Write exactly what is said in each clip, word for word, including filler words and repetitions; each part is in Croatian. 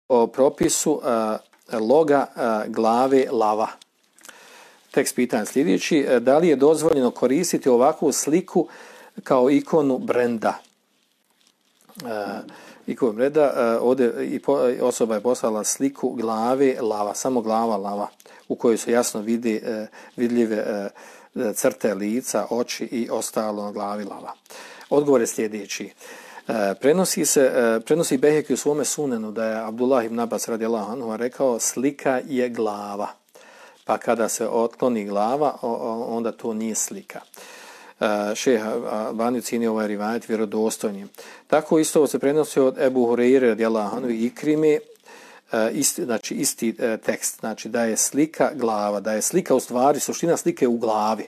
o propisu a, loga a, glave lava. Tekst pitanja sljedeći: da li je dozvoljeno koristiti ovakvu sliku kao ikonu brenda? A, ikonu brenda, a, ovdje i po, osoba je poslala sliku glave lava, samo glava lava, u kojoj se jasno vidi a, vidljive a, crte lica, oči i ostalo na glavi lava. Odgovor je sljedeći. Prenosi se, prenosi Beheki u svome sunenu da je Abdullah ibn Abbas radijallahu anhu rekao: slika je glava, pa kada se otkloni glava, onda to nije slika. Šejh Albani ocjenjuje ovaj rivajet vjerodostojnim. Tako isto se prenosi od Ebu Hureyre radijallahu anhu i Ikrime, isti, znači isti tekst, znači da je slika glava, da je slika u stvari, suština slike u glavi.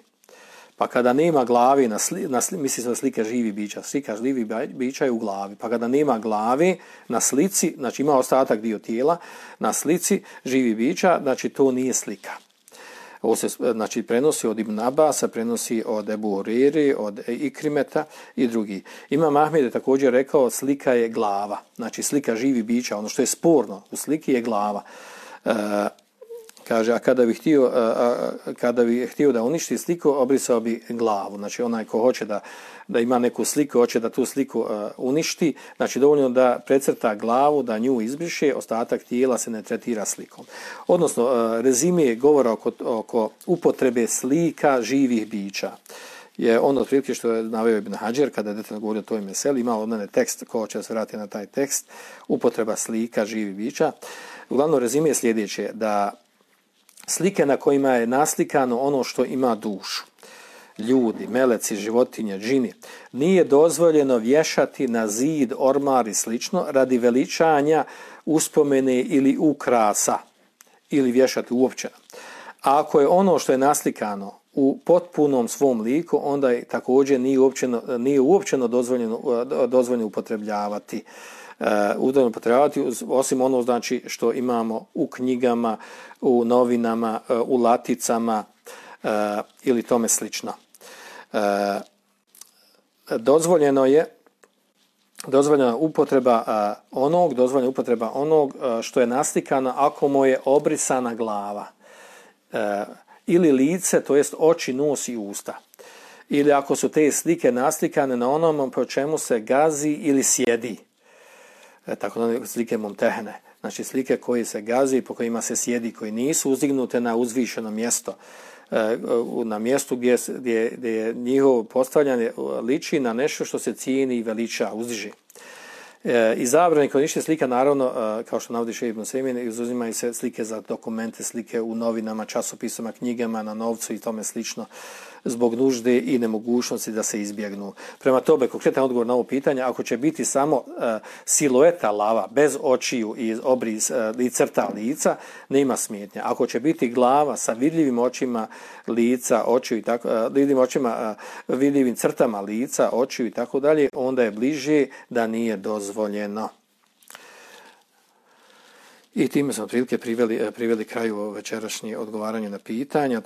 Pa kada nema glavi, na sli, na sli, misli se na slike živi bića, slika živi bića je u glavi. Pa kada nema glavi na slici, znači ima ostatak dio tijela, na slici živi bića, znači to nije slika. Ovo se znači prenosi od Ibn Abasa, prenosi od Ebu Hureyre, od Ikrimeta i drugi. Imam Ahmed je također rekao: slika je glava, znači slika živi bića, ono što je sporno u sliki je glava. E, Kaže, a kada bi htio, a, a, kada bi htio da uništi sliku, obrisao bi glavu. Znači, onaj ko hoće da, da ima neku sliku, hoće da tu sliku a, uništi, znači dovoljno da precrta glavu, da nju izbriše, ostatak tijela se ne tretira slikom. Odnosno, a, rezime govora oko, oko upotrebe slika živih bića je ono otprilike što je naveo Ibn Hadžer kada je detaljno govorio o toj meseli. Ima od mene tekst, ko će se vratiti na taj tekst, upotreba slika živih bića. Uglavnom, rezime je sljedeće, da slike na kojima je naslikano ono što ima dušu, ljudi, meleci, životinje, džini, nije dozvoljeno vješati na zid, ormar i slično radi veličanja, uspomene ili ukrasa, ili vješati uopće. A ako je ono što je naslikano u potpunom svom liku, onda je također nije uopćeno, nije uopćeno dozvoljeno, dozvoljeno upotrebljavati. Uh, upotrebljavati osim ono znači što imamo u knjigama, u novinama, uh, u laticama uh, ili tome slično. Uh, dozvoljeno je dozvoljena upotreba uh, onog, dozvoljena upotreba onog uh, što je naslikano ako mu je obrisana glava uh, ili lice, to jest oči, nos i usta. Ili ako su te slike naslikane na onom po čemu se gazi ili sjedi. Tako da slike mumtehne, znači slike koje se gazi, po kojima se sjedi, koji nisu uzdignute na uzvišeno mjesto, na mjestu gdje, gdje, gdje je njihovo postavljanje liči na nešto što se cijeni i veliča, uzdiže. I zabrani korištenja slika, naravno, kao što navodi Šejh Ibn Usejmin, izuzimaju se slike za dokumente, slike u novinama, časopisama, knjigama, na novcu i tome slično, zbog nužde i nemogućnosti da se izbjegnu. Prema tome, konkretan odgovor na ovo pitanje, ako će biti samo uh, silueta lava, bez očiju i obris uh, i crta lica, nema smetnja. Ako će biti glava sa vidljivim očima lica, očiju i tako, uh, vidljivim očima, uh, vidljivim crtama lica, očiju i tako dalje, onda je bliže da nije dozvoljeno. I time smo otprilike priveli, priveli kraju večerašnje odgovaranje na pitanja.